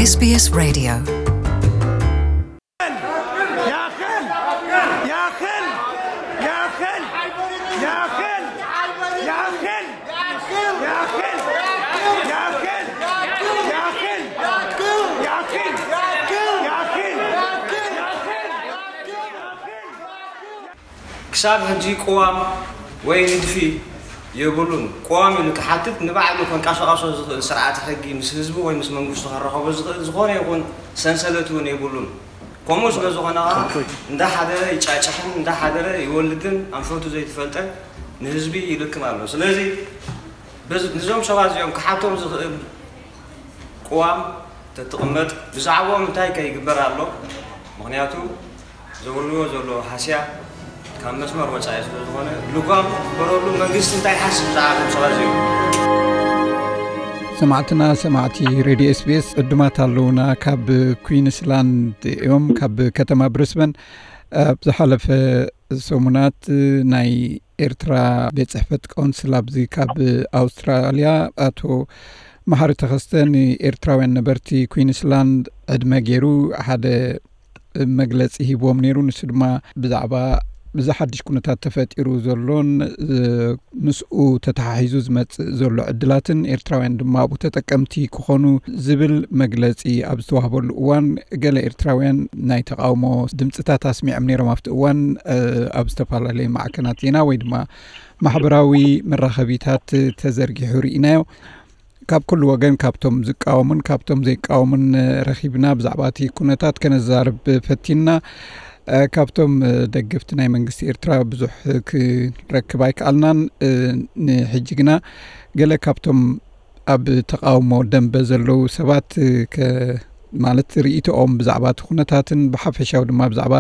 SBS Radio. ክሳብ ሕጂ ቅዋም ወይ ንድፊ የብሉን። ቅዋም ኢሉ ክሓትት ንባዕሉ ከንቀሳቐሶ ዝኽእል ስርዓተ ሕጊ ምስ ህዝቢ ወይ ምስ መንግስቱ ከራኸቦ ዝኽእል ዝኾነ ይኹን ሰንሰለት እውን የብሉን። ከምኡ ስለ ዝኾነ ከዓ እንዳሓደረ ይጫጭሕን እንዳሓደረ ይወልድን ኣንፈቱ ዘይትፈልጠ ንህዝቢ ይልክም ኣሎ። ስለዚ በዚ- ንዞም ሰባት እዚኦም ክሓቶም ዝኽእል ቅዋም ተትቕመጥ ብዛዕባኦም እንታይ ከ ይግበር ኣሎ? ምኽንያቱ ዘውርድዎ ዘሎ ሃስያ ካብ መስመር ወፃኢ ስለ ዝኾነ ልጓም ክግበረሉ መንግስቲ እንታይ ይሓስብ ብዛዕባ እዞም ሰባት እዚኦም? ሰማዕትና ሰማዕቲ ሬድዮ ኤስቢኤስ ዕዱማት ኣለውና። ካብ ኩዊንስላንድ እዮም፣ ካብ ከተማ ብሪስበን። ኣብ ዝሓለፈ ሰሙናት ናይ ኤርትራ ቤት ጽሕፈት ቆንስል ኣብዚ ካብ ኣውስትራልያ ኣቶ መሓሪ ተኸስተ ንኤርትራውያን ነበርቲ ኩዊንስላንድ ዕድመ ገይሩ ሓደ መግለጺ ሂብዎም ነይሩ። ንሱ ድማ ብዛዕባ እዚ ሓድሽ ኩነታት ተፈጢሩ ዘሎን ምስኡ ተተሓሒዙ ዝመጽእ ዘሎ ዕድላትን ኤርትራውያን ድማ ኣብኡ ተጠቀምቲ ክኾኑ ዝብል መግለጺ ኣብ ዝተዋህበሉ እዋን፣ ገለ ኤርትራውያን ናይ ተቓውሞ ድምፅታት ኣስሚዖም ነይሮም። ኣብቲ እዋን ኣብ ዝተፈላለየ ማዕከናት ዜና ወይ ድማ ማሕበራዊ መራኸቢታት ተዘርጊሑ ርኢናዮ። ካብ ኩሉ ወገን ካብቶም ዝቃወሙን ካብቶም ዘይቃወሙን ረኺብና ብዛዕባ እቲ ኩነታት ከነዛርብ ፈቲንና። ካብቶም ደገፍቲ ናይ መንግስቲ ኤርትራ ብዙሕ ክንረክብ ኣይከኣልናን። ንሕጂ ግና ገለ ካብቶም ኣብ ተቓውሞ ደንበ ዘለዉ ሰባት ማለት ርእይቶኦም ብዛዕባ እቲ ኩነታትን ብሓፈሻዊ ድማ ብዛዕባ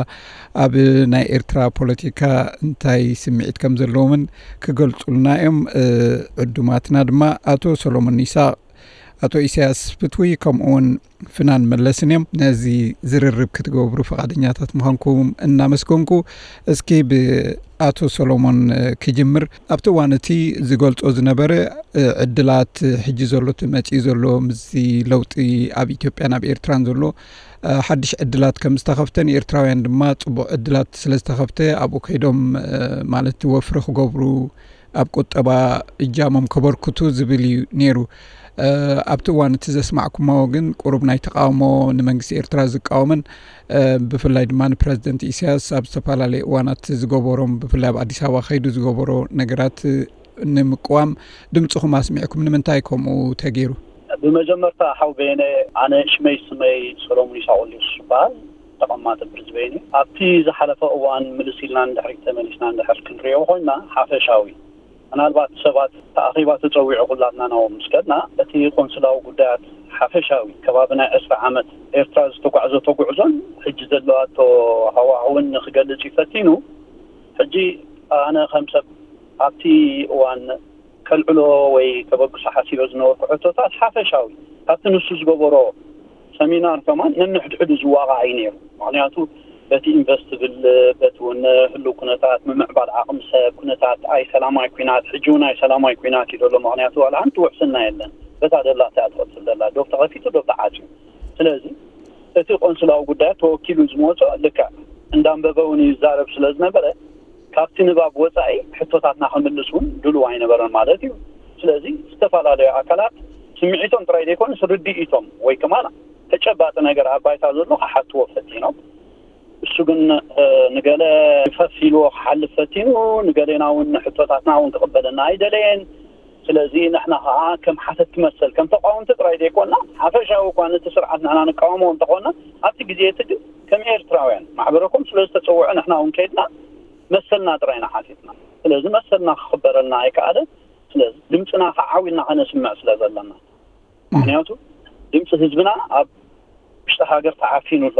ኣብ ናይ ኤርትራ ፖለቲካ እንታይ ስምዒት ከም ዘለዎምን ክገልጹልና እዮም። ዕዱማትና ድማ ኣቶ ሰሎሞን ይስሐቅ፣ ኣቶ ኢሳያስ ፍትዊ ከምኡ እውን ፍናን መለስን እዮም። ነዚ ዝርርብ ክትገብሩ ፈቓደኛታት ምዃንኩም እናመስገንኩ፣ እስኪ ብኣቶ ሰሎሞን ክጅምር። ኣብቲ እዋን እቲ ዝገልጾ ዝነበረ ዕድላት፣ ሕጂ ዘሎ እቲ መጺኡ ዘሎ ምስዚ ለውጢ ኣብ ኢትዮጵያን ኣብ ኤርትራን ዘሎ ሓድሽ ዕድላት ከም ዝተኸፍተ፣ ንኤርትራውያን ድማ ጽቡቕ ዕድላት ስለ ዝተኸፍተ ኣብኡ ከይዶም ማለት ወፍሪ ክገብሩ ኣብ ቁጠባ እጃሞም ከበርክቱ ዝብል እዩ ነይሩ። ኣብቲ እዋን እቲ ዘስማዕኩሞ ግን ቁሩብ ናይ ተቃውሞ፣ ንመንግስቲ ኤርትራ ዝቃወምን ብፍላይ ድማ ንፕረዚደንት ኢሳያስ ኣብ ዝተፈላለየ እዋናት ዝገበሮም፣ ብፍላይ ኣብ ኣዲስ ኣበባ ከይዱ ዝገበሮ ነገራት ንምቅዋም ድምፅኹም ኣስሚዕኩም። ንምንታይ ከምኡ ተገይሩ? ብመጀመርታ ሓው በየነ፣ ኣነ ሽመይ ስመይ ሰሎሙን ይሳቆልዮስ ይበሃል። ተቐማጢ ብሪዝቤን እዩ። ኣብቲ ዝሓለፈ እዋን ምልስ ኢልና እንድሕሪ ተመሊስና እንድሕር ክንሪኦ ኮይና ሓፈሻዊ ምናልባት ሰባት ተኣኺባ ተጸዊዑ ኩላትና ናብኦም ምስ ከድና እቲ ቆንስላዊ ጉዳያት ሓፈሻዊ ከባቢ ናይ ዕስራ ዓመት ኤርትራ ዝተጓዕዘቶ ጉዕዞን ሕጂ ዘለዋቶ ሃዋህውን ንክገልጽ እዩ ፈቲኑ። ሕጂ ኣነ ከም ሰብ ኣብቲ እዋን ከልዕሎ ወይ ከበግሶ ሓሲበ ዝነበርኩ ሕቶታት ሓፈሻዊ ካብቲ ንሱ ዝገበሮ ሰሚናር ከማን ነንሕድሕዱ ዝዋቓዕ እዩ ነይሩ። ምኽንያቱ በቲ ኢንቨስትብል በቲ እውን ህልው ኩነታት ምምዕባል ዓቕሚ ሰብ ኩነታት ኣይ ሰላማይ ኩናት ሕጂ እውን ኣይ ሰላማይ ኩናት እዩ ዘሎ። ምኽንያቱ ዋላ ሓንቲ ውሕስና የለን። በታ ደላ እቲኣ ትቐጽል ደላ ዶብ ተኸፊቱ ዶብ ተዓፅዩ። ስለዚ እቲ ቆንስላዊ ጉዳያት ተወኪሉ ዝመፆ ልክዕ እንዳንበበ እውን ይዛረብ ስለ ዝነበረ ካብቲ ንባብ ወፃኢ ሕቶታትና ክምልስ እውን ድሉው ኣይነበረን ማለት እዩ። ስለዚ ዝተፈላለዩ ኣካላት ስምዒቶም ጥራይ ዘይኮነስ ርድኢቶም ወይ ከማን ተጨባጢ ነገር ኣብ ባይታ ዘሎ ክሓትዎ ፈቲኖም። እሱ ግን ንገለ ፈስ ኢልዎ ክሓልፍ ፈቲኑ፣ ንገሌና እውን ሕቶታትና እውን ክቕበለና ኣይደለየን። ስለዚ ንሕና ከዓ ከም ሓተትቲ መሰል ከም ተቃወምቲ ጥራይ ዘይኮና ሓፈሻዊ እኳ ነቲ ስርዓት ንሕና ንቃወሞ እንተኾና ኣብቲ ግዜ እቲ ግን ከም ኤርትራውያን ማሕበረኮም ስለ ዝተፀውዐ ንሕና እውን ከይድና መሰልና ጥራይ ኢና ሓቲትና። ስለዚ መሰልና ክኽበረልና ኣይከኣለን። ስለዚ ድምፅና ከዓ ዓው ኢልና ከነስምዕ ስለ ዘለና ምክንያቱ ድምፂ ህዝብና ኣብ ውሽጢ ሃገር ተዓፊኑ ኣሎ።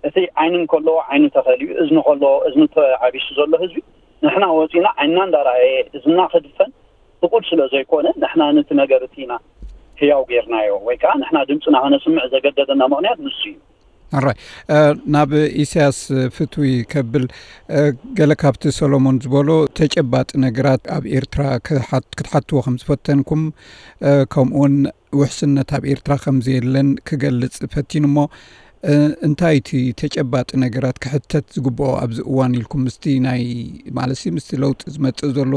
እቲ ዓይኒ እንከለዎ ዓይኑ ተኸሊኡ እዝኒ ከለዎ እዝኒ ተዓቢሱ ዘሎ ህዝቢ ንሕና ወፂና ዓይንና እንዳረኣየ እዝንና ክድፈን ፍቁድ ስለ ዘይኮነ ንሕና ነቲ ነገር እቲ ኢና ህያው ጌርናዮ ወይ ከዓ ንሕና ድምፅና ከነስምዕ ዘገደደና ምክንያት ንሱ እዩ። ኣራይ ናብ ኢሳያስ ፍትዊ ከብል ገለ ካብቲ ሰሎሞን ዝበሎ ተጨባጢ ነገራት ኣብ ኤርትራ ክትሓትዎ ከም ዝፈተንኩም ከምኡውን ውሕስነት ኣብ ኤርትራ ከም ዘየለን ክገልጽ ፈቲኑ እሞ፣ እ፣ እንታይ እቲ ተጨባጢ ነገራት ክሕተት ዝግብኦ ኣብዚ እዋን ኢልኩም ምስቲ ናይ፣ ማለትሲ ምስቲ ለውጢ ዝመጽእ ዘሎ፣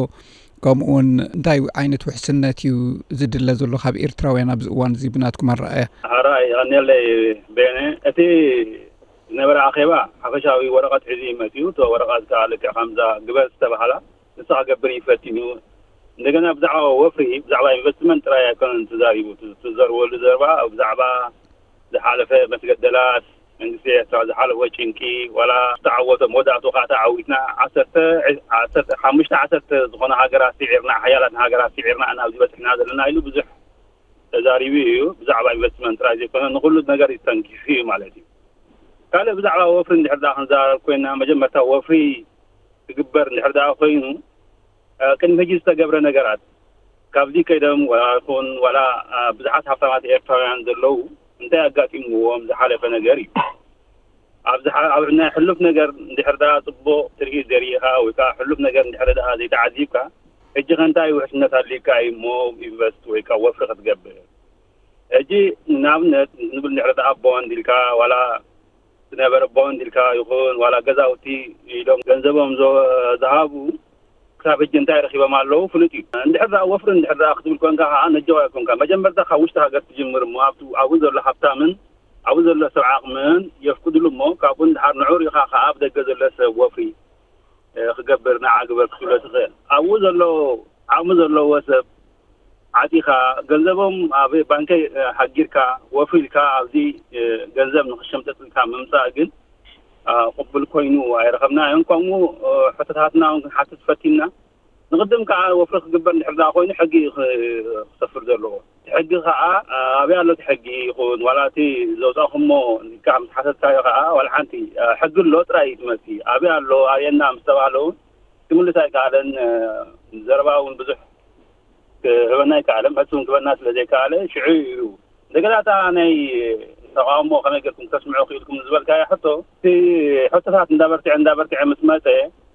ከምኡ እውን እንታይ ዓይነት ውሕስነት እዩ ዝድለ ዘሎ ካብ ኤርትራውያን ኣብዚ እዋን እዚ ብናትኩም ኣረኣእያ? ኣራይ፣ የቐንየለይ ቤነ። እቲ ዝነበረ ኣኼባ ሓፈሻዊ ወረቐት ሒዙ እዩ መጺኡ። እቶ ወረቐት ከኣ ልክዕ ከምዛ ግበር ዝተባህላ ንሳ ክገብር እዩ ፈቲኑ። እንደገና ብዛዕባ ወፍሪ፣ ብዛዕባ ኢንቨስትመንት ጥራይ ኣይኮነን ተዛሪቡ። እቲ ዝተዘርበሉ ዘረባ ብዛዕባ ዝሓለፈ መስገደላት መንግስቲ ኤርትራ፣ ዝሓለፈ ጭንቂ፣ ዋላ ዝተዓወተ መወዳእቱ ከኣ ተዓዊትና፣ ዓሰርተ፣ ዓሰርተ፣ ሓሙሽተ ዓሰርተ ዝኾና ሃገራት ስዒርና፣ ሓያላት ሃገራት ስዒርና ኢና ኣብዚ በጺሕና ዘለና ኢሉ ብዙሕ ተዛሪቡ እዩ። ብዛዕባ ኢንቨስትመንት ጥራይ ዘይኮነ ንኹሉ ነገር እዩ ተንኪፉ እዩ ማለት እዩ። ካልእ ብዛዕባ ወፍሪ እንድሕር ደኣ ክንዛረብ ኮይና፣ መጀመርታ ወፍሪ ክግበር እንድሕር ደኣ ኮይኑ፣ እ፣ ቅድሚ ሕጂ ዝተገብረ ነገራት ካብዚ ከይዶም ዋላ ይኹን ዋላ፣ እ፣ ብዙሓት ሃብታማት ኤርትራውያን ዘለዉ እንታይ ኣጋጢምዎም ዝሓለፈ ነገር እዩ። ኣብ ዝሓ-፣ ኣብ ናይ ሕሉፍ ነገር እንድሕር ደኣ ጽቡቕ ትርኢት ዘርኢኻ ወይ ከኣ ሕሉፍ ነገር እንድሕር ደኣ ዘይተዓዚብካ፣ ሕጂ ከ እንታይ ውሕስነት ኣድልዩካ እዩ እሞ ኢንቨስት ወይ ከኣ ወፍሪ ክትገብር? ሕጂ ንኣብነት ንብል እንድሕር ደኣ ቦንድ ኢልካ ዋላ ዝነበረ ቦንድ ኢልካ ይኹን ዋላ ገዛውቲ ኢሎም ገንዘቦም ዘ-፣ ዝሃቡ ክሳብ ሕጂ እንታይ ረኺቦም ኣለዉ ፍሉጥ እዩ። እንድሕር ደኣ ወፍሪ እንድሕር ደኣ ክትብል ኮንካ ከኣ ነጀዋይ ኮንካ መጀመርታ ካብ ውሽጢ ሃገር ትጅምር እሞ ኣብቲ ኣብኡ ዘሎ ሃብታምን ኣብኡ ዘሎ ሰብ ዓቕምን የፍቅድሉ እሞ ካብኡ እንድሓር ንዑ ርኢኻ ከኣ ኣብ ደገ ዘሎ ሰብ ወፍሪ፣ እ፣ ክገብር ንዓ ግበር ክትብሎ ትኽእል። ኣብኡ ዘሎ ዓቕሚ ዘለዎ ሰብ ዓጺኻ ገንዘቦም ኣብ ባንከ፣ እ፣ ሃጊርካ ወፍሪ ኢልካ ኣብዚ፣ እ፣ ገንዘብ ንኽሸምጠጥልካ ምምጻእ ግን፣ እ፣ ቅቡል ኮይኑ ኣይረኸብናዮን። ከምኡ፣ እ፣ ሕቶታትና እውን ክንሓትት ፈቲንና። ንቕድም ከኣ ወፍሪ ክግበር እንድሕር ደኣ ኮይኑ ሕጊ እዩ ክ-፣ ክሰፍር ዘለዎ። እቲ ሕጊ ከኣ፣ እ፣ ኣበይ ኣሎ እቲ ሕጊ ይኹን ዋላ እቲ ዘውጻእኹሞ ኢልካ ምስ ሓተትካዮ ከኣ ዋላ ሓንቲ፣ እ፣ ሕጊ ኣሎ ጥራይ እዩ ትመልሲ። ኣበይ ኣሎ ኣበየና ምስ ተባህለ እውን ክምልስ ኣይከኣለን። እ፣ ዘረባ እውን ብዙሕ ክህበና ኣይከኣለን። መልሲ እውን ክህበና ስለ ዘይከኣለ ሽዑ እዩ እንደገና እታ ናይ ተቃውሞ ከመይ ጌርኩም ክተስምዑ ክኢልኩም ዝበልካያ ሕቶ፣ እቲ ሕቶታት እንዳበርትዐ እንዳበርትዐ ምስ መጸ፣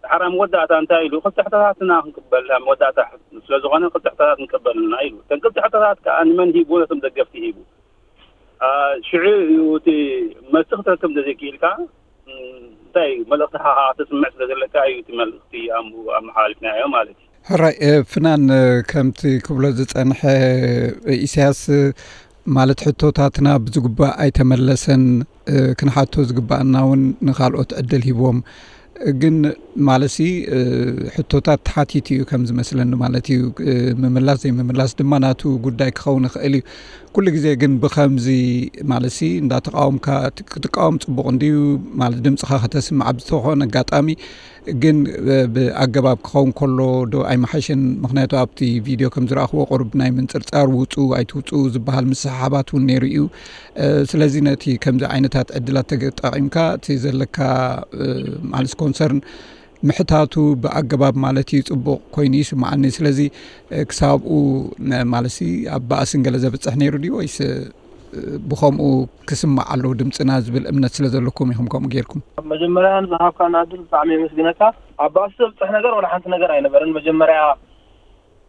ድሓር ኣብ መወዳእታ እንታይ ኢሉ፣ ክልተ ሕቶታት ኢና ክንቅበል፣ ኣብ መወዳእታ ስለ ዝኾነ ክልተ ሕቶታት ንቀበልና ኢሉ። እተን ክልተ ሕቶታት ከኣ ንመን ሂቡ? ነቶም ደገፍቲ ሂቡ። አ፣ ሽዑ እዩ እቲ መልሲ ክትረክብ እንተዘይክኢልካ፣ ም፣ እንታይ እዩ? መልእኽትኻ ከኣ ተስምዕ ስለ ዘለካ እዩ እቲ መልእኽቲ ኣም-፣ ኣመሓላሊፍናዮ ማለት እዩ። ሕራይ፣ እ፣ ፍናን፣ እ፣ ከምቲ ክብሎ ዝጸንሐ፣ እ፣ ኢሳያስ፣ እ፣ ማለት ሕቶታትና ብዝግባእ ኣይተመለሰን፣ እ፣ ክንሓቶ ዝግባኣና እውን ንኻልኦት ዕድል ሂብዎም። ግን ማለትሲ፣ እ፣ ሕቶታት ተሓቲቱ እዩ ከም ዝመስለኒ ማለት እዩ። እ፣ ምምላስ ዘይምምላስ ድማ ናቱ ጉዳይ ክኸውን ይኽእል እዩ። ኩሉ ግዜ ግን ብኸምዚ ማለትሲ እንዳተቃወምካ ት-፣ ክትቃወም ጽቡቕ እንድዩ፣ ማለት ድምጽኻ ከተስምዕ ኣብ ዝኾነ ኣጋጣሚ፣ ግን፣ እ፣ ብኣገባብ ክኸውን ከሎ ዶ ኣይመሓሸን? ምኽንያቱ ኣብቲ ቪድዮ ከም ዝረኣኽዎ ቁሩብ ናይ ምንጽርጻር ውጹ ኣይትውጹ ዝበሃል ምስሕሓባት እውን ነይሩ እዩ። እ፣ ስለዚ ነቲ ከምዚ ዓይነታት ዕድላት ተጠቒምካ እቲ ዘለካ፣ እ፣ ማለት ኮንሰርን ምሕታቱ ብኣገባብ ማለት እዩ ጽቡቕ ኮይኑ ይስምዓኒ። ስለዚ፣ እ፣ ክሳብኡ ነ-፣ ማለትሲ ኣብ ባእስን ገለ ዘብጽሕ ነይሩ ድዩ ወይስ፣ እ፣ ብኸምኡ ክስማዕ ኣለዎ ድምጽና ዝብል እምነት ስለ ዘለኩም ኢኹም ከምኡ ጌርኩም? መጀመርያ ንዝሃብካና ዕድል ብጣዕሚ የመስግነካ። ኣብ ባእሲ ዘብጽሕ ነገር ወላ ሓንቲ ነገር ኣይነበረን። መጀመርያ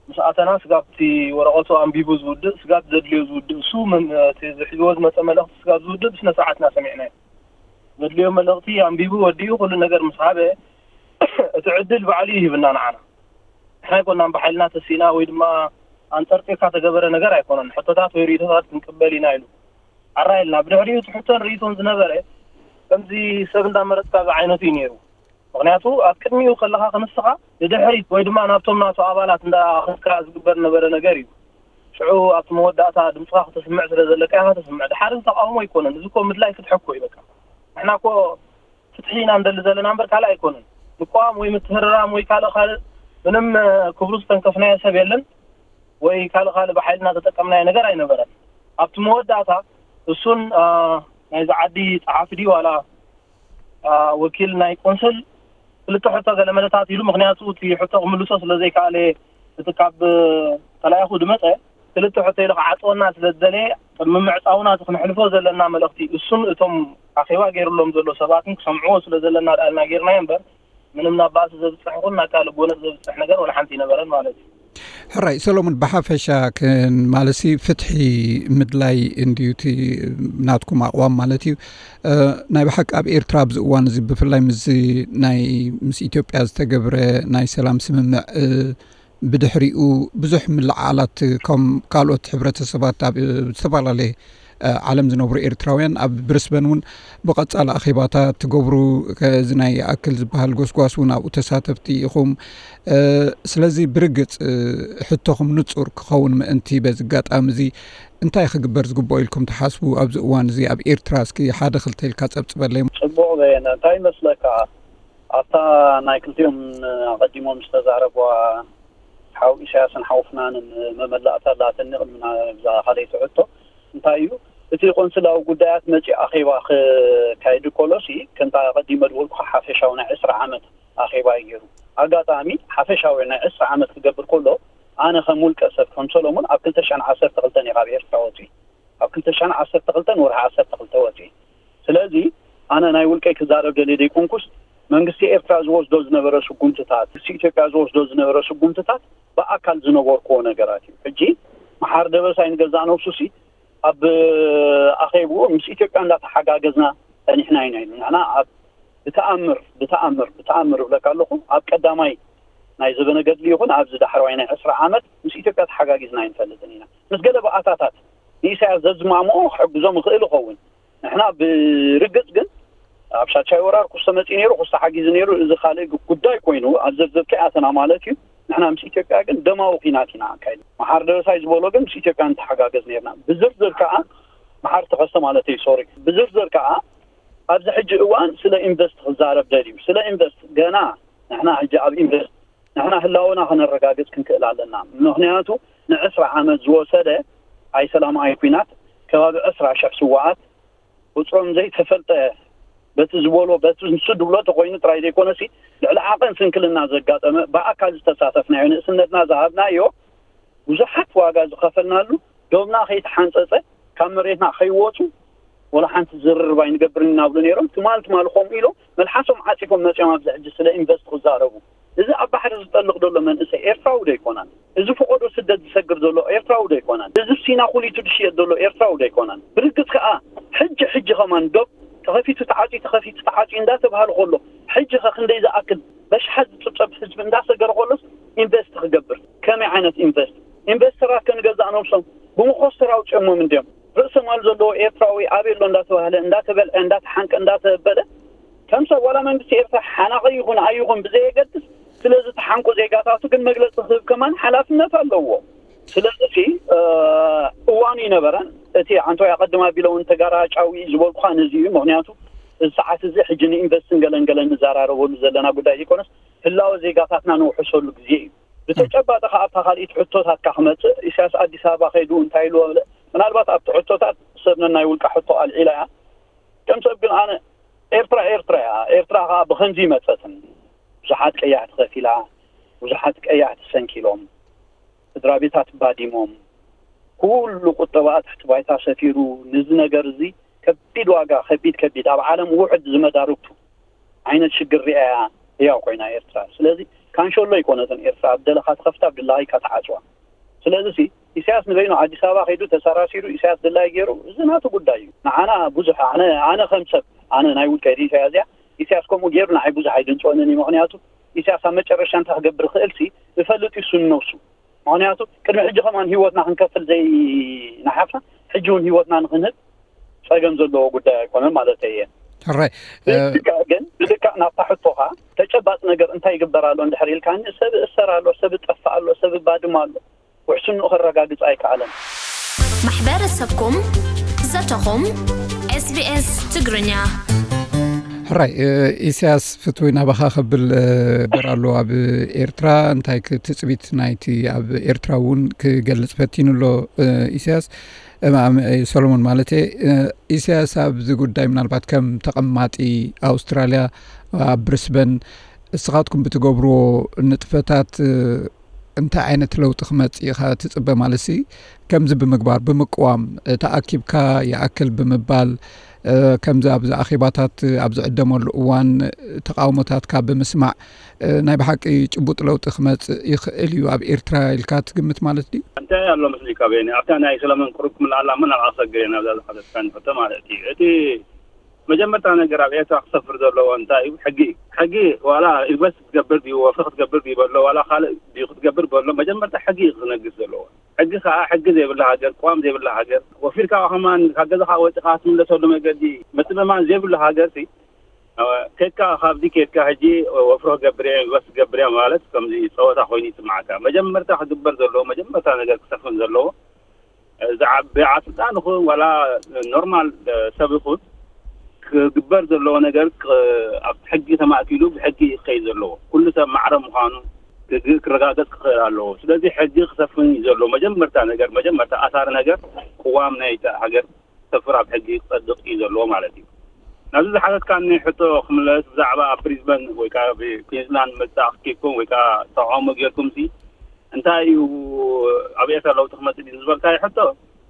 ምስ ኣተና ስጋብ እቲ ወረቐቱ ኣንቢቡ ዝውድእ፣ ስጋብ ዘድልዮ ዝውድእ፣ እሱ መም-፣ እቲ ዝሕዝዎ ዝመጸ መልእኽቲ ስጋብ ዝውድእ ብስነ ስርዓት ኢና ሰሚዕናዮ። ዘድልዮ መልእኽቲ ኣንቢቡ ወዲኡ ኩሉ ነገር ምስ ሃበ፣ እቲ ዕድል ባዕሉ እዩ ሂብና ንዓና። ንሕና ኣይኮናን ብሓይልና ተሲእና ወይ ድማ ኣንጠርጢርካ ተገበረ ነገር ኣይኮነን። ሕቶታት ወይ ርእይቶታት ክንቅበል ኢና ኢሉ። ኣራይ ኢልና። ብድሕሪኡ እቲ ሕቶን ርእይቶን ዝነበረ ከምዚ ሰብ እንዳመረጽካ ዝዓይነቱ እዩ ነይሩ። ምኽንያቱ ኣብ ቅድሚኡ ከለኻ ክንስኻ ንድሕሪት ወይ ድማ ናብቶም ናቱ ኣባላት እንዳኣኸድካ ዝግበር ነበረ ነገር እዩ። ሽዑ ኣብቲ መወዳእታ ድምፅኻ ክተስምዕ ስለ ዘለካ ኢኻ ተስምዕ። ድሓር እዚ ተቃውሞ ኣይኮነን። እዚ እኮ ምድላይ ፍትሒ እኮ እዩ በቃ። ንሕና እኮ ፍትሒ ኢና እንደሊ ዘለና እምበር ካልእ ኣይኮነን። ምቋም ወይ ምትህርራም ወይ ካልእ ካልእ ምንም፣ እ፣ ክብሩ ዝተንከፍናዮ ሰብ የለን ወይ ካልእ ካልእ ብሓይልና ተጠቀምናዮ ነገር ኣይነበረን። ኣብቲ መወዳእታ እሱን፣ እ፣ ናይዚ ዓዲ ጸሓፊ ድዩ ዋላ፣ እ፣ ወኪል ናይ ቆንስል ክልተ ሕቶ ገለ መለታት ኢሉ፣ ምኽንያቱ እቲ ሕቶ ክምልሶ ስለ ዘይከኣለ እቲ ካብ ተላኢኹ ድመጸ ክልተ ሕቶ ኢሉ ክዓጽወና ስለ ዝደለየ፣ ቅድሚ ምዕጻውና እቲ ክንሕልፎ ዘለና መልእኽቲ እሱን እቶም ኣኼባ ገይሩሎም ዘሎ ሰባትን ክሰምዕዎ ስለ ዘለና ደኣ ኢልና ገይርናዮ እምበር፣ ምንም ናብ ባእሲ ዘብጽሕ ይኹን ናብ ካልእ ጎነጽ ዘብጽሕ ነገር ወላ ሓንቲ ኣይነበረን ማለት እዩ። ሕራይ ሰሎሞን፣ ብሓፈሻ ክን ማለሲ ፍትሒ ምድላይ እንድዩ እቲ ናትኩም ኣቕዋም ማለት እዩ። እ፣ ናይ ብሓቂ ኣብ ኤርትራ ኣብዚ እዋን እዚ ብፍላይ ምስ ናይ ምስ ኢትዮጵያ ዝተገብረ ናይ ሰላም ስምምዕ፣ እ፣ ብድሕሪኡ ብዙሕ ምልዓላት ከም ካልኦት ሕብረተሰባት ኣብ ዝተፈላለየ እ፣ ዓለም ዝነብሩ ኤርትራውያን ኣብ ብሪስበን እውን ብቐጻሊ ኣኼባታት ትገብሩ፣ ከዚ ናይ ይኣክል ዝበሃል ጎስጓስ እውን ኣብኡ ተሳተፍቲ ኢኹም። እ፣ ስለዚ ብርግጽ፣ እ፣ ሕቶኹም ንጹር ክኸውን ምእንቲ በዚ ኣጋጣሚ እዚ እንታይ ክግበር ዝግብኦ ኢልኩም ትሓስቡ ኣብዚ እዋን እዚ ኣብ ኤርትራ? እስኪ ሓደ ክልተ ኢልካ ጸብጽበለይ። ጽቡቕ በየነ፣ እንታይ ይመስለካ? ኣብታ ናይ ክልቲኦም ኣቐዲሞም ዝተዛረብዋ ሓው ኢሳያስን ሓው ፍናንን መመላእታ ኣላትኒ ቅድሚ ናብዛ ካልኣይቲ ሕቶ። እንታይ እዩ እቲ ቆንስላዊ ጉዳያት መጺኡ ኣኼባ ክካየድ ከሎሲ፣ ከምታ ኣቐዲመ ዝበልኩኻ ሓፈሻዊ ናይ ዕስራ ዓመት ኣኼባ እዩ ገይሩ። ኣጋጣሚ ሓፈሻዊ ናይ ዕስራ ዓመት ክገብር ከሎ፣ ኣነ ከም ውልቀ ሰብ ከም ሰሎሞን ኣብ ክልተ ሽሕን ዓሰርተ ክልተን እየ ካብ ኤርትራ ወጺኡ። ኣብ ክልተ ሽሕን ዓሰርተ ክልተን ወርሒ ዓሰርተ ክልተ ወጺኡ። ስለዚ ኣነ ናይ ውልቀይ ክዛረብ ደልየ ዘይኮንኩስ፣ መንግስቲ ኤርትራ ዝወስዶ ዝነበረ ስጉምትታት፣ መንግስቲ ኢትዮጵያ ዝወስዶ ዝነበረ ስጉምትታት ብኣካል ዝነበርኩዎ ነገራት እዩ። ሕጂ መሓር ደበሳይ ንገዛእ ነብሱሲ ኣብ ኣኼብኡ ምስ ኢትዮጵያ እንዳተሓጋገዝና ጸኒሕና ኢና ኢሉ። ንሕና ኣብ ብተኣምር፣ ብተኣምር፣ ብተኣምር እብለካ ኣለኹ፣ ኣብ ቀዳማይ ናይ ዘበነ ገድሊ ይኹን ኣብዚ ዳሕረዋይ ናይ ዕስራ ዓመት ምስ ኢትዮጵያ ተሓጋጊዝና ኣይንፈልጥን ኢና። ምስ ገለ ባእታታት ንኢሳያስ ዘዝማምኦ ክሕግዞም ይኽእል ይኸውን። ንሕና ብርግጽ ግን ኣብ ሻድሻይ ወራር ክስተ መጺኡ ነይሩ፣ ክስተ ሓጊዙ ነይሩ፣ እዚ ካልእ ጉዳይ ኮይኑ ኣብ ዝርዝር ከይኣተና ማለት እዩ። ንሕና ምስ ኢትዮጵያ ግን ደማዊ ኲናት ኢና ኣካይድና። መሓር ደበሳይ ዝበሎ ግን ምስ ኢትዮጵያ ንተሓጋገዝ ነይርና። ብዝርዝር ከኣ መሓር ተኸስተ ማለት እዩ፣ ሶሪ። ብዝርዝር ከኣ ኣብዚ ሕጂ እዋን ስለ ኢንቨስት ክዛረብ ደልዩ። ስለ ኢንቨስት ገና ንሕና ሕጂ ኣብ ኢንቨስት ንሕና ህላወና ከነረጋግጽ ክንክእል ኣለና። ምኽንያቱ ንዕስራ ዓመት ዝወሰደ ኣይሰላም ኣይኲናት ከባቢ ዕስራ ሽሕ ስዋኣት ቁጽሮም ዘይተፈልጠ በቲ ዝበሎ፣ በቲ ንሱ ድብሎ ተኾይኑ ጥራይ ዘይኮነሲ፣ ልዕሊ ዓቐን ስንክልና ዘጋጠመ፣ ብኣካል ዝተሳተፍናዮ፣ ንእስነትና ዝሃብናዮ፣ ብዙሓት ዋጋ ዝኸፈልናሉ፣ ዶብና ከይተሓንጸጸ፣ ካብ መሬትና ከይወጹ፣ ወላ ሓንቲ ዝርርብ ኣይንገብርን ኢና ብሉ ነይሮም። ትማል ትማል ከምኡ ኢሎም መልሓሶም ዓጺፎም መጺኦም ኣብዚ ሕጂ ስለ ኢንቨስት ክዛረቡ። እዚ ኣብ ባሕሪ ዝጠልቕ ዘሎ መንእሰይ ኤርትራዊ ዶ ኣይኮነን? እዚ ፈቐዶ ስደት ዝሰግር ዘሎ ኤርትራዊ ዶ ኣይኮነን? እዚ ሲና ኩሊቱ ዝሽየጥ ዘሎ ኤርትራዊ ዶ ኣይኮነን? ብርግጽ ከኣ ሕጂ ሕጂ ከማን ዶብ ተኸፊቱ ተዓጽዩ፣ ተኸፊቱ ተዓጽዩ እንዳተባህለ ከሎ፣ ሕጂ ከ ክንደይ ዝኣክል በሽሓት ዝጽብጸብ ህዝቢ እንዳሰገረ ከሎስ ኢንቨስት ክገብር? ከመይ ዓይነት ኢንቨስት? ኢንቨስተራት ከ ንገዛእ ነብሶም ብመኾስተር ኣውጺኦሞም እንድዮም። ርእሰ ማል ዘለዎ ኤርትራዊ ኣበይ ኣሎ እንዳተባህለ፣ እንዳተበልዐ፣ እንዳተሓንቀ፣ እንዳተበለ፣ ከም ሰብ ዋላ መንግስቲ ኤርትራ ሓናቒ ይኹን ኣይኹን ብዘየገድስ፣ ስለዚ ተሓንቁ ዜጋታቱ ግን መግለጺ ክህብ ከማን ሓላፍነት ኣለዎ። ስለዚ እ፣ እዋኑ ይነበረን። እቲ ዓንተወይ ኣቐድም ኣቢለ እውን ተጋራጫዊ ዝበልኩኻ ነዚ እዩ። ምኽንያቱ እዚ ሰዓት እዚ ሕጂ ንኢንቨስትን ገለን ገለን ንዘራረበሉ ዘለና ጉዳይ ዘይኮነስ፣ ህላወ ዜጋታትና ነውሕሰሉ ግዜ እዩ። ብተጨባጢ ከኣ ኣብታ ካልኢት ሕቶታትካ ክመጽእ፣ ኢሳያስ ኣዲስ ኣበባ ከይዱ እንታይ ኢሉ? ምናልባት ኣብቲ ሕቶታት ሰብ ነናይ ውልቃ ሕቶ ኣልዒላ እያ። ከም ሰብ ግን ኣነ ኤርትራ ኤርትራ እያ። ኤርትራ ከኣ ብኸምዚ ይመጸትን። ብዙሓት ቀያሕቲ ከፊላ፣ ብዙሓት ቀያሕቲ ሰንኪሎም፣ ስድራ ቤታት ባዲሞም፣ ኩሉ ቁጠባኣ ትሕቲ ባይታ ሰፊሩ፣ ነዚ ነገር እዚ ከቢድ ዋጋ፣ ከቢድ ከቢድ፣ ኣብ ዓለም ውሑድ ዝመዳርግቱ ዓይነት ሽግር ሪኣ እያ ህያው ኮይና ኤርትራ። ስለዚ ካንሸሎ ኣይኮነትን ኤርትራ፣ ኣብ ደለኻ ትኸፍታ፣ ኣብ ድላይካ ትዓጽዋ። ስለዚ ሲ ኢሳያስ ንበይኑ ኣዲስ ኣበባ ከይዱ ተሰራሲሩ፣ ኢሳያስ ድላይ ገይሩ፣ እዚ ናቱ ጉዳይ እዩ። ንዓና ብዙሕ፣ ኣነ፣ ኣነ ከም ሰብ፣ ኣነ ናይ ውልቀይ ርእይቶ እያ እዚኣ። ኢሳያስ ከምኡ ገይሩ ንዓይ ብዙሕ ኣይድንጽወንን እዩ። ምኽንያቱ ኢሳያስ ኣብ መጨረሻ እንታይ ክገብር ይኽእል ሲ እፈልጥ እዩ እሱ ንነብሱ። ምኽንያቱ ቅድሚ ሕጂ ከማን ህይወትና ክንከፍል ዘይነሓፍና፣ ሕጂ እውን ህይወትና ንክንህብ ጸገም ዘለዎ ጉዳይ ኣይኮነን ማለት እየ። ሕራይ፣ እ፣ ብልክዕ ግን፣ ብልክዕ ናብታ ሕቶኻ፣ ተጨባጥ ነገር እንታይ ይግበር ኣሎ እንድሕር ኢልካኒ፣ ሰብ እሰር ኣሎ፣ ሰብ ጠፍእ ኣሎ፣ ሰብ ባድም ኣሎ። ውሕስንኡ ከረጋግጽ ኣይከኣለን። ማሕበረሰብኩም ዘተኹም ኤስቢኤስ ትግርኛ። ሕራይ፣ እ፣ ኢሳያስ ፍትዊ ናባኻ ከብል፣ እ፣ በር ኣሎ ኣብ ኤርትራ። እንታይ ክ-፣ ትጽቢት ናይቲ ኣብ ኤርትራ እውን ክገልጽ ፈቲኑ ኣሎ፣ እ፣ ኢሳያስ፣ እ፣ ማ-፣ እ፣ ሰሎሞን ማለት እየ። እ፣ ኢሳያስ ኣብዚ ጉዳይ ምናልባት ከም ተቐማጢ ኣውስትራልያ ኣብ ብሪስበን እስኻትኩም ብትገብርዎ ንጥፈታት፣ እ፣ እንታይ ዓይነት ለውጢ ክመጽእ ኢኻ ትጽበ? ማለትሲ ከምዚ ብምግባር፣ ብምቅዋም፣ እ፣ ተኣኪብካ ይኣክል ብምባል፣ ከምዚ ኣብዚ ኣኼባታት ኣብ ዝዕደመሉ እዋን ተቃውሞታትካ ብምስማዕ ናይ ብሓቂ ጭቡጥ ለውጢ ክመጽእ ይኽእል እዩ ኣብ ኤርትራ ኢልካ ትግምት ማለት ድዩ? እንታይ ኣሎ መስሊካ ቤኒ? ኣብታ ናይ ሰለሞን ቅሩብ ክምልኣላ እሞ ናብ ኣሰግር እየ ናብዛ ዝሓተትካኒ ሕቶ ማለት እዩ። እቲ መጀመርታ ነገር ኣብ ኤርትራ ክሰፍር ዘለዎ እንታይ እዩ? ሕጊ እዩ። ሕጊ ዋላ ኢንቨስት ክትገብር ድዩ፣ ወፍሪ ክትገብር ድዩ በሎ፣ ዋላ ካልእ ድዩ ክትገብር በሎ፣ መጀመርታ ሕጊ እዩ ክነግስ ዘለዎ። ሕጊ ከኣ ሕጊ ዘይብላ ሃገር፣ ቅዋም ዘይብላ ሃገር፣ ወፊርካ ከማን ካብ ገዛኻ ወጺኻ ትምለሰሉ መገዲ ምትእምማን ዘይብሉ ሃገር ሲ፣ ኬድካ ካብዚ ኬድካ ሕጂ ወፍሮ ገብርያ፣ ኢንቨስት ገብርያ ማለት ከምዚ ጸወታ ኮይኑ ይስምዓካ። መጀመርታ ክግበር ዘለዎ፣ መጀመርታ ነገር ክሰፍን ዘለዎ፣ ዝዓቢ ስልጣን ይኹን ዋላ ኖርማል ሰብ ይኹን ክግበር ዘለዎ ነገር ክ-፣ ኣብ ሕጊ ተማእኪሉ ብሕጊ ክኸይድ ዘለዎ። ኩሉ ሰብ ማዕረ ምዃኑ ክግ-፣ ክረጋገጽ ክኽእል ኣለዎ። ስለዚ ሕጊ ክሰፍን እዩ ዘለዎ። መጀመርታ ነገር፣ መጀመርታ ኣሳሪ ነገር ቅዋም ናይ ሃገር ሰፍር ኣብ ሕጊ ክጸድቕ እዩ ዘለዎ ማለት እዩ። ናብዚ ዝሓተትካኒ ሕቶ ክምለስ፣ ብዛዕባ ኣብ ብሪዝበን ወይ ከኣ ኣብ ኩዊንስላንድ ምርጫ ኣኪብኩም ወይ ከኣ ተቃውሞ ጌርኩም ሲ እንታይ እዩ ኣብ ኤርትራ ለውጢ ክመጽእ ድዩ ዝበልካዮ ሕቶ፣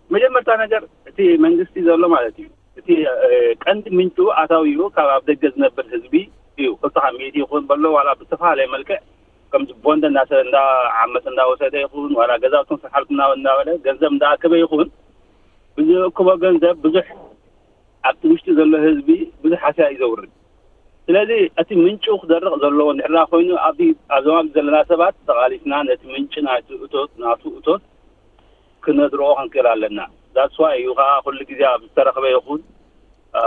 መጀመርታ ነገር እቲ መንግስቲ ዘሎ ማለት እዩ። እቲ፣ እ፣ ቀንዲ ምንጩ ኣታዊኡ ካብ ኣብ ደገ ዝነብር ህዝቢ እዩ። ክልተ ሚእቲ ይኹን በሎ ዋላ ብዝተፈላለየ መልክዕ ከምዚ ቦንድ እንዳሰ-፣ እንዳዓመጸ እንዳወሰደ ይኹን ዋላ ገዛውትን ስራሕትን እንዳ-፣ እንዳበለ ገንዘብ እንዳኣከበ ይኹን ብዝእክቦ ገንዘብ ብዙሕ ኣብቲ ውሽጢ ዘሎ ህዝቢ ብዙሕ ሃስያ እዩ ዘውርድ። ስለዚ እቲ ምንጩ ክደርቕ ዘለዎ እንድሕር ደኣ ኮይኑ ኣብዚ ኣብ ዞባ ዘለና ሰባት ተቓሊስና ነቲ ምንጪ ናቱ እቶት፣ ናቱ እቶት ክነድርቖ ክንክእል ኣለና። That's why እዩ ከኣ ኩሉ ግዜ ኣብ ዝተረኽበ ይኹን፣ አ፣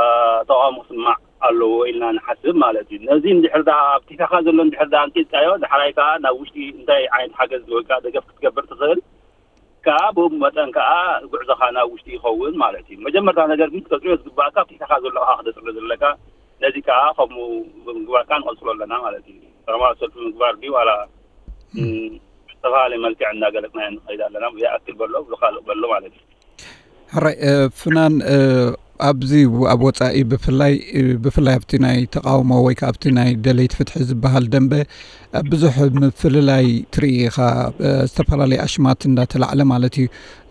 ተቓውሞ ክስማዕ ኣለዎ ኢልና ንሓስብ ማለት እዩ። ነዚ እንድሕር ደኣ ኣብ ቲካኻ ዘሎ እንድሕር ደኣ ኣንቂጽካዮ፣ ዳሕራይ ከኣ ናብ ውሽጢ እንታይ ዓይነት ሓገዝ ወይ ከኣ ደገፍ ክትገብር ትኽእል፣ ከኣ ብኡ መጠን ከኣ ጉዕዞኻ ናብ ውሽጢ ይኸውን ማለት እዩ። መጀመርታ ነገር ግን ክትጽርዮ ዝግባእካ ኣብቲ ኢኻ ዘለኻ ከተጽሪ ዘለካ፣ ነዚ ከኣ ከምኡ ብምግባርካ ንቐጽሎ ኣለና ማለት እዩ። ሰላማዊ ሰልፊ ምግባር ድዩ ዋላ፣ እም፣ ብዝተፈላለየ መልክዕ እናገለጽናዮ ንኸይድ ኣለና። ይኣክል በሎ፣ ብኻልእ በሎ ማለት እዩ። ሕራይ፣ እ፣ ፍናን፣ እ፣ ኣብዚ ኣብ ወጻኢ ብፍላይ፣ እ፣ ብፍላይ ኣብቲ ናይ ተቃውሞ ወይ ከኣ ኣብቲ ናይ ደለይቲ ፍትሒ ዝበሃል ደንበ፣ እ፣ ብዙሕ ምፍልላይ ትርኢ ኢኻ፣ እ፣ ዝተፈላለየ ኣሽማት እንዳተላዕለ ማለት እዩ።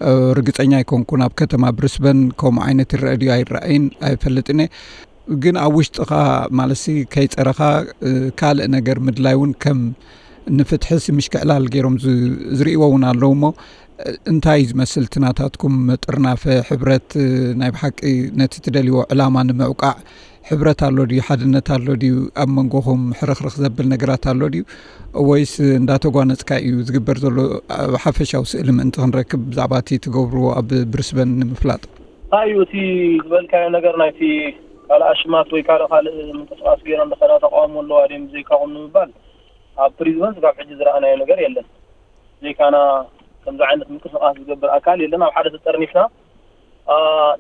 እ፣ ርግጸኛ ኣይኮንኩን ኣብ ከተማ ብሪስበን ከምኡ ዓይነት ይረአ ድዩ ኣይረኣይን ኣይፈልጥን እየ። ግን ኣብ ውሽጥኻ ማለትሲ ከይጸረኻ፣ እ፣ ካልእ ነገር ምድላይ እውን ከም ንፍትሕሲ ምሽክዕላል ገይሮም ዝ-፣ ዝርእይዎ እውን ኣለዉ እሞ፣ እ፣ እንታይ እዩ ዝመስል እቲ ናታትኩም ጥርናፈ፣ ሕብረት፣ እ፣ ናይ ብሓቂ ነቲ ትደልይዎ ዕላማ ንምዕቃዕ ሕብረት ኣሎ ድዩ? ሓድነት ኣሎ ድዩ? ኣብ መንጎኹም ሕርኽርኽ ዘብል ነገራት ኣሎ ድዩ? ወይስ እንዳተጓነጽካ እዩ ዝግበር ዘሎ? ኣብ ሓፈሻዊ ስእሊ ምእንቲ ክንረክብ ብዛዕባ እቲ ትገብርዎ ኣብ ብሪስበን ንምፍላጥ። እንታይ እዩ እቲ ዝበልካዮ ነገር ናይቲ ካልእ ኣሽማት ወይ ካልእ ካልእ ምንቅስቃስ ገይሮም ዝኸዳ ተቃውሞ ኣለዋ ድዮም ብዘይካኹም ንምባል ኣብ ፕሪዝበን ስጋብ ሕጂ ዝረኣናዮ ነገር የለን። ዘይካና ከምዚ ዓይነት ምንቅስቃስ ዝገብር ኣካል የለን። ኣብ ሓደ ተጠርኒፍና፣ አ፣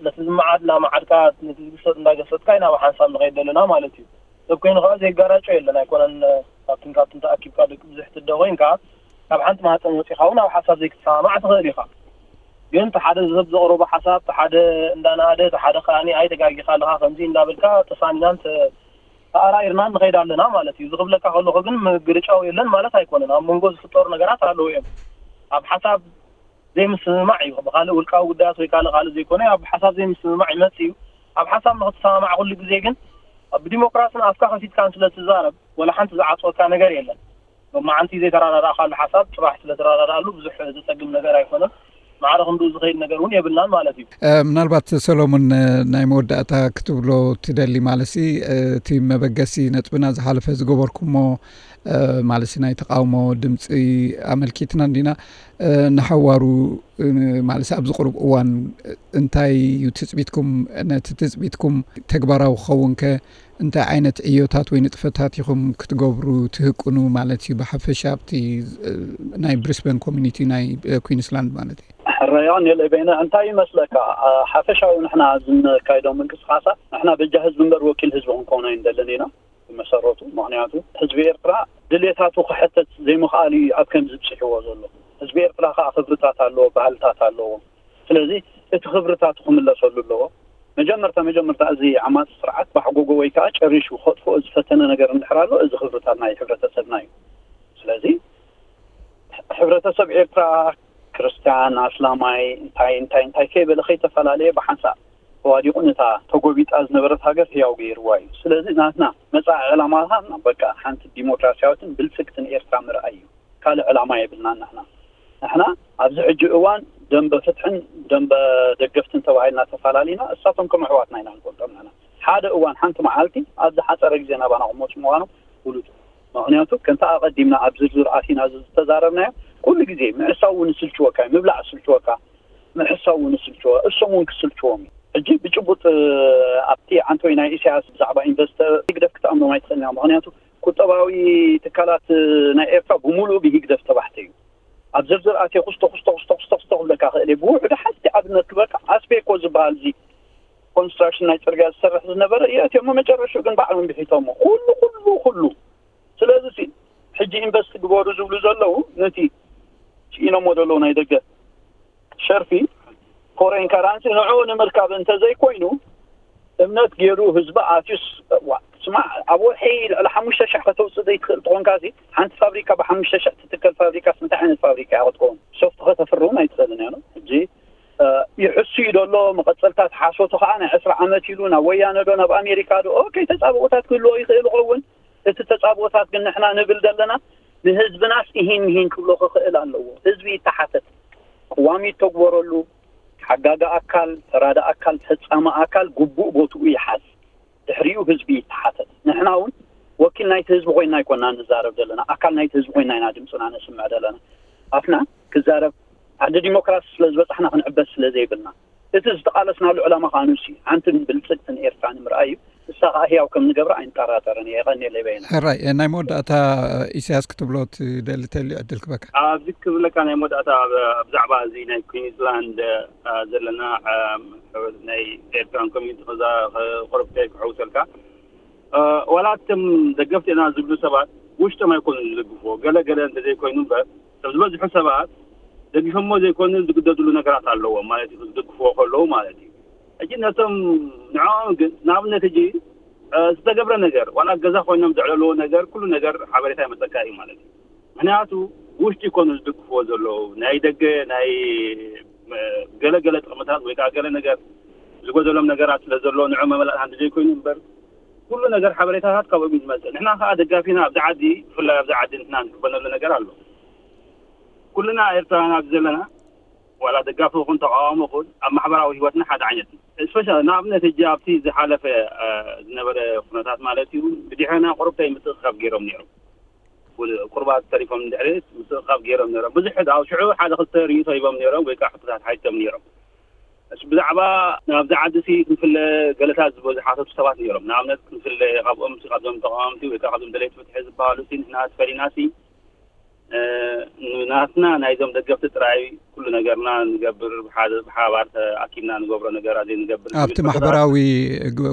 ነቲ ዝመዓድ እናመዓድካ፣ ነቲ ዝግሰጥ እንዳገሰጥካ ኢና ብሓንሳብ ንኸይድ ዘለና ማለት እዩ። ሰብ ኮይኑ ከዓ ዘይጋራጮ የለን። ኣይኮነን፣ ካብትን ካብትን ተኣኪብካ ደቂ ብዙሕ ትደ ኮይንካ፣ ካብ ሓንቲ ማህፀን ወፂኻ እውን ኣብ ሓሳብ ዘይክትሰማማዕ ትኽእል ኢኻ። ግን እቲ ሓደ ሰብ ዘቕረቦ ሓሳብ፣ እቲ ሓደ እንዳናኣደ፣ እቲ ሓደ ከኣኒ ኣይ ተጋጊኻ ኣለኻ ከምዚ እንዳበልካ ተሳኒናን ተ-፣ ተኣራኢርናን ንኸይድ ኣለና ማለት እዩ። እዚ ክብለካ ከለኹ ግን ምግርጫው የለን ማለት ኣይኮነን። ኣብ መንጎ ዝፍጠሩ ነገራት ኣለዉ እዮም። ኣብ ሓሳብ ዘይምስምማዕ እዩ። ብኻልእ ውልቃዊ ጉዳያት ወይ ካልእ ካልእ ዘይኮነ፣ ኣብ ሓሳብ ዘይምስምማዕ ይመጽእ እዩ። ኣብ ሓሳብ ንኽትሰማማዕ ኩሉ ግዜ ግን ብዲሞክራስን ኣፍካ ከፊትካን ስለ ትዛረብ፣ ወላ ሓንቲ ዝዓጽወካ ነገር የለን። ሎማዓንቲ ዘይተረዳዳእካሉ ሓሳብ ጽባሕ ስለ ትረዳዳእሉ ብዙሕ ዘጸግም ነገር ኣይኮነን። ማዕረ ክንድኡ ዝኸይድ ነገር እውን የብልናን ማለት እዩ። እ፣ ምናልባት ሰሎሞን፣ እ፣ ናይ መወዳእታ ክትብሎ ትደሊ ማለትሲ፣ እ፣ እቲ መበገሲ ነጥብና ዝሓለፈ ዝገበርኩሞ፣ እ፣ ማለትሲ ናይ ተቃውሞ ድምፂ ኣመልኪትና እንዲና፣ እ፣ ንሓዋሩ፣ እ፣ ማለትሲ ኣብዚ ቁሩብ እዋን እንታይ እዩ ትፅቢትኩም? ነቲ ትፅቢትኩም ተግባራዊ ክኸውን ከ እንታይ ዓይነት ዕዮታት ወይ ንጥፈታት ኢኹም ክትገብሩ ትህቅኑ ማለት እዩ? ብሓፈሻ ኣብቲ፣ እ፣ ናይ ብሪስበን ኮሚኒቲ ናይ፣ እ፣ ኩዊንስላንድ ማለት እዩ። ሕራይ ዮኒ፣ በይነ እንታይ ይመስለካ? እ፣ ሓፈሻዊ ንሕና ዝነካይዶም ምንቅስቃሳት ንሕና በጃ ህዝቢ እምበር ወኪል ህዝቢ ክንከውን ኣይንደልን ኢና ብመሰረቱ። ምኽንያቱ ህዝቢ ኤርትራ ድሌታቱ ክሕተት ዘይምኽኣሉ እዩ ኣብ ከምዚ ብፅሕዎ ዘሎ። ህዝቢ ኤርትራ ከዓ ክብርታት ኣለዎ፣ ባህልታት ኣለዎ። ስለዚ እቲ ክብርታቱ ክምለሰሉ ኣለዎ። መጀመርታ መጀመርታ እዚ ዓማፂ ስርዓት ባሕጎጎ ወይ ከዓ ጨሪሹ ከጥፍኦ ዝፈተነ ነገር እንድሕር ኣሎ፣ እዚ ክብርታት ናይ ሕብረተሰብና እዩ። ስለዚ ሕብረተሰብ ኤርትራ ክርስትያን፣ ኣስላማይ፣ እንታይ እንታይ እንታይ ከይበለ ከይተፈላለየ ብሓንሳእ ተዋዲቑ ነታ ተጎቢጣ ዝነበረት ሃገር ህያው ገይርዋ እዩ። ስለዚ ናትና መጻኢ ዕላማታትና በቃ ሓንቲ ዲሞክራሲያዊትን ብልጽግትን ኤርትራ ምርኣይ እዩ። ካልእ ዕላማ የብልናን ንሕና። ንሕና ኣብዚ ሕጂ እዋን ደንበ ፍትሕን ደንበ ደገፍትን ተባሂልና ተፋላሊና፣ እሳቶም ከም ኣሕዋትና ኢና ንፈልጦም። ንሕና ሓደ እዋን ሓንቲ መዓልቲ ኣብ ዝሓጸረ ግዜ ናባና ክመጹ ምዃኖም ፍሉጥ እዩ። ምኽንያቱ ከምቲ ኣቐዲምና ኣብ ዝርዝር ኣቲና ዝተዛረብናዮ፣ ኩሉ ግዜ ምሕሳው እውን ይስልችወካ እዩ፣ ምብላዕ ይስልችወካ፣ ምሕሳው እውን ይስልችወ፣ እሶም እውን ክስልችዎም እዩ። ሕጂ ብጭቡጥ ኣብቲ ዓንቶይ ናይ ኢሳያስ ብዛዕባ ኢንቨስተር ህግደፍ ክትኣምኖም ኣይትኽእልን ኢኻ። ምኽንያቱ ቁጠባዊ ትካላት ናይ ኤርትራ ብምሉኡ ብህግደፍ ዝተባሕተ እዩ። ኣብ ዝርዝር ኣትየ ኩስቶ ኩስቶ ኩስቶ ኩስቶ ኩስቶ ክብለካ ክእል እየ። ብውሕዱ ሓንቲ ኣብነት ክበካ ኣስቤኮ ዝበሃል እዚ ኮንስትራክሽን ናይ ጽርግያ ዝሰርሕ ዝነበረ እዩ። እቲኦም መጨረሽኡ ግን ባዕሎም ብሒቶሞ። ኩሉ ኩሉ ኩሉ። ስለዚ ሲ ሕጂ ኢንቨስት ግበሩ ዝብሉ ዘለዉ ነቲ ስኢኖሞ ዘለዉ ናይ ደገ ሸርፊ ፎሬን ካራንሲ ንዕኡ ንምርካብ እንተዘይኮይኑ እምነት ገይሩ ህዝቢ ኣትዩስ ዋ ስማዕ ኣብ ወርሒ ልዕሊ ሓሙሽተ ሸሕ ከተውፅእ ዘይትኽእል ትኾንካ ሲ ሓንቲ ፋብሪካ ብሓሙሽተ ሸሕ ትትከል ፋብሪካ እንታይ ዓይነት ፋብሪካ እያ ክትከውን ሶፍት ከተፍርውን ኣይትኽእልን እያ ሕጂ ይሕሱ እዩ ደሎ መቐፀልታት ሓሶቱ ከዓ ናይ ዕስራ ዓመት ኢሉ ናብ ወያነ ዶ ናብ ኣሜሪካ ዶ ኦኬ ተፃብኦታት ክህልዎ ይኽእል ይኸውን እቲ ተፃብኦታት ግን ንሕና ንብል ዘለና ንህዝብናስ ኢሂን ምሂን ክብሎ ክኽእል ኣለዎ ህዝቢ ይተሓተት ቅዋም ይተግበረሉ ሓጋጊ ኣካል ተራዳኢ ኣካል ፈፃሚ ኣካል ግቡእ ቦትኡ ይሓዝ ድሕሪኡ ህዝቢ ይተሓተት ንሕና እውን ወኪል ናይቲ ህዝቢ ኮይና ኣይኮና ንዛረብ ዘለና ኣካል ናይቲ ህዝቢ ኮይና ኢና ድምፅና ነስምዕ ዘለና ኣፍና ክዛረብ ዓዲ ዲሞክራሲ ስለ ዝበፃሕና ክንዕበስ ስለ ዘይብልና እቲ ዝተቓለስናሉ ዕላማ ከዓ ንሱ እዩ ሓንትን ብልፅግትን ኤርትራ ንምርኣይ እዩ ንሳ ከዓ ህያው ከም ንገብራ ኣይንጠራጠርን እየ የቐንየለይ በየነ ሕራይ ናይ መወዳእታ ኢሳያስ ክትብሎ ትደሊ ተልዩ ዕድል ክበካ ኣብዚ ክብለካ ናይ መወዳእታ ብዛዕባ እዚ ናይ ኩዊንስላንድ ዘለና ናይ ኤርትራን ኮሚኒቲ ከዛ ቁርብተይ ክሕውሰልካ ዋላ እቶም ደገፍቲ ኢና ዝብሉ ሰባት ውሽጦም ኣይኮኑን ዝድግፍዎ ገለ ገለ እንተዘይኮይኑ እምበር እቶም ዝበዝሑ ሰባት ደጊፎሞ ዘይኮኑ ዝግደድሉ ነገራት ኣለዎም ማለት እዩ ዝድግፍዎ ከለዉ ማለት እዩ ሕጂ ነቶም ንዕኦም ግን ንኣብነት ሕጂ ዝተገብረ ነገር ዋላ ገዛ ኮይኖም ዘዕለልዎ ነገር ኩሉ ነገር ሓበሬታ ይመፀካ እዩ ማለት እዩ ምክንያቱ ውሽጢ ይኮኑ ዝድግፍዎ ዘለዉ ናይ ደገ ናይ ገለገለ ጥቕምታት ወይ ከዓ ገለ ነገር ዝጎደሎም ነገራት ስለ ዘሎ ንዑ መመላእታ እንተዘይኮይኑ እምበር ኩሉ ነገር ሓበሬታታት ካብኦም እዩ ዝመፅእ ንሕና ከዓ ደጋፊና ኣብዚ ዓዲ ብፍላይ ኣብዚ ዓዲ ንሕና ንቅበለሉ ነገር ኣሎ ኩልና ኤርትራውያን ኣብዚ ዘለና ዋላ ደጋፊ ይኹን ተቃዋሚ ይኹን ኣብ ማሕበራዊ ህይወትና ሓደ ዓይነት እዩ ስፔሻ ንኣብነት ሕጂ ኣብቲ ዝሓለፈ ዝነበረ ኩነታት ማለት እዩ ብድሕረና ቁሩብተይ ምትእኽኻብ ገይሮም ነይሮም ቁርባት ተሪፎም ድሕሪ ምትእኻብ ገይሮም ነይሮም ብዙሕ ኣብ ሽዑ ሓደ ክልተ ርእይቶ ሂቦም ነይሮም ወይ ከዓ ሕቶታት ሓቲቶም ነይሮም እስ ብዛዕባ ናብዚ ዓዲ ሲ ክንፍለ ገለታት ዝበዝሓተቱ ሰባት ነይሮም ንኣብነት ክንፍለ ካብኦም ሲ ካብዞም ተቃወምቲ ወይ ከዓ ካብዞም ደለይቲ ፍትሒ ዝበሃሉ ሲ ንሕና ትፈሊና ሲ ናትና ናይዞም ደገፍቲ ጥራይ ኩሉ ነገርና ንገብር ብሓባር ኣኪብና ንገብሮ ነገራት ዘይንገብር ኣብቲ ማሕበራዊ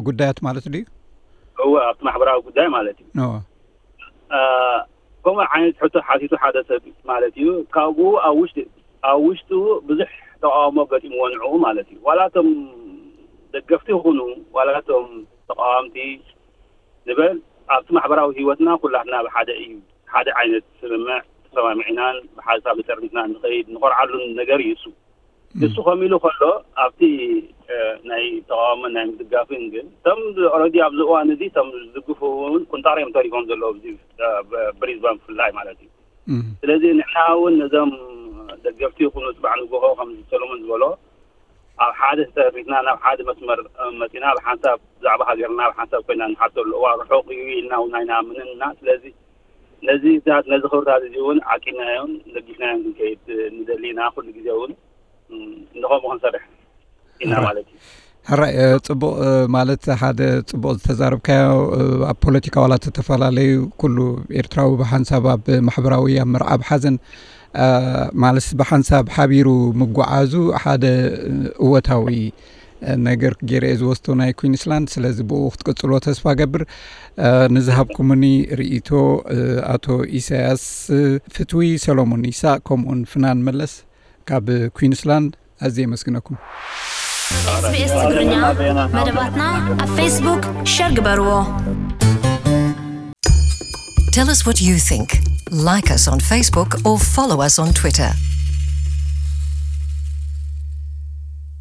ጉዳያት ማለት ድዩ እወ ኣብቲ ማሕበራዊ ጉዳይ ማለት እዩ ከምኡ ዓይነት ሕቶ ሓቲቱ ሓደ ሰብ ማለት እዩ ካብኡ ኣብ ውሽጢ ኣብ ውሽጡ ብዙሕ ተቃውሞ ገጢምዎ ንዕኡ ማለት እዩ ዋላ እቶም ደገፍቲ ይኹኑ ዋላ እቶም ተቃዋምቲ ንበል ኣብቲ ማሕበራዊ ህይወትና ኩላትና ብሓደ እዩ ሓደ ዓይነት ስምምዕ ተሰማሚዕናን ብሓሳብ ተጠርኒፍና ንኸይድ ንኾርዓሉን ነገር እዩ እሱ እሱ ከም ኢሉ ከሎ ኣብቲ ናይ ተቃውሞን ናይ ምድጋፍን ግን እቶም ኦረዲ ኣብዚ እዋን እዚ እቶም ዝድግፉ እውን ቁንጣሮ እዮም ተሪፎም ዘለዉ ኣብዚ ብሪዝባን ብፍላይ ማለት እዩ ስለዚ ንሕና እውን ነዞም ደገፍቲ ይኹኑ ፅባዕ ንጎሆ ከም ሰሎሞን ዝበሎ ኣብ ሓደ ተጠርኒፍና ናብ ሓደ መስመር መፂና ብሓንሳብ ብዛዕባ ሃገርና ብሓንሳብ ኮይና ንሓተሉ እዋ ርሑቕ እዩ ኢልና እውን ኣይንኣምንን እና ስለዚ ነዚ ዛት ነዚ ክብርታት እዚ እውን ዓቂናዮን ለጊስናዮን ክንከይድ ንደሊ ኢና ኩሉ ግዜ እውን ንኸምኡ ክንሰርሕ ኢና ማለት እዩ ሕራይ ፅቡቅ ማለት ሓደ ፅቡቅ ዝተዛረብካዮ ኣብ ፖለቲካ ዋላ ተፈላለዩ ኩሉ ኤርትራዊ ብሓንሳብ ኣብ ማሕበራዊ ኣብ መርዓ ኣብ ሓዘን ማለት ብሓንሳብ ሓቢሩ ምጓዓዙ ሓደ እወታዊ ነገር ገይረ እየ ዝወስዶ ናይ ኩንስላንድ ስለዚ ብኡ ክትቅፅሎ ተስፋ ገብር ንዝሃብኩምኒ ርእይቶ ኣቶ ኢሳያስ ፍትዊ ሰሎሞን ይሳቅ ከምኡን ፍናን መለስ ካብ ኩንስላንድ ኣዝየ የመስግነኩም። SBS ትግርኛ መደባትና ኣብ ፌስቡክ ሸር ግበርዎ። Tell us what you think. Like us on Facebook or follow us on Twitter.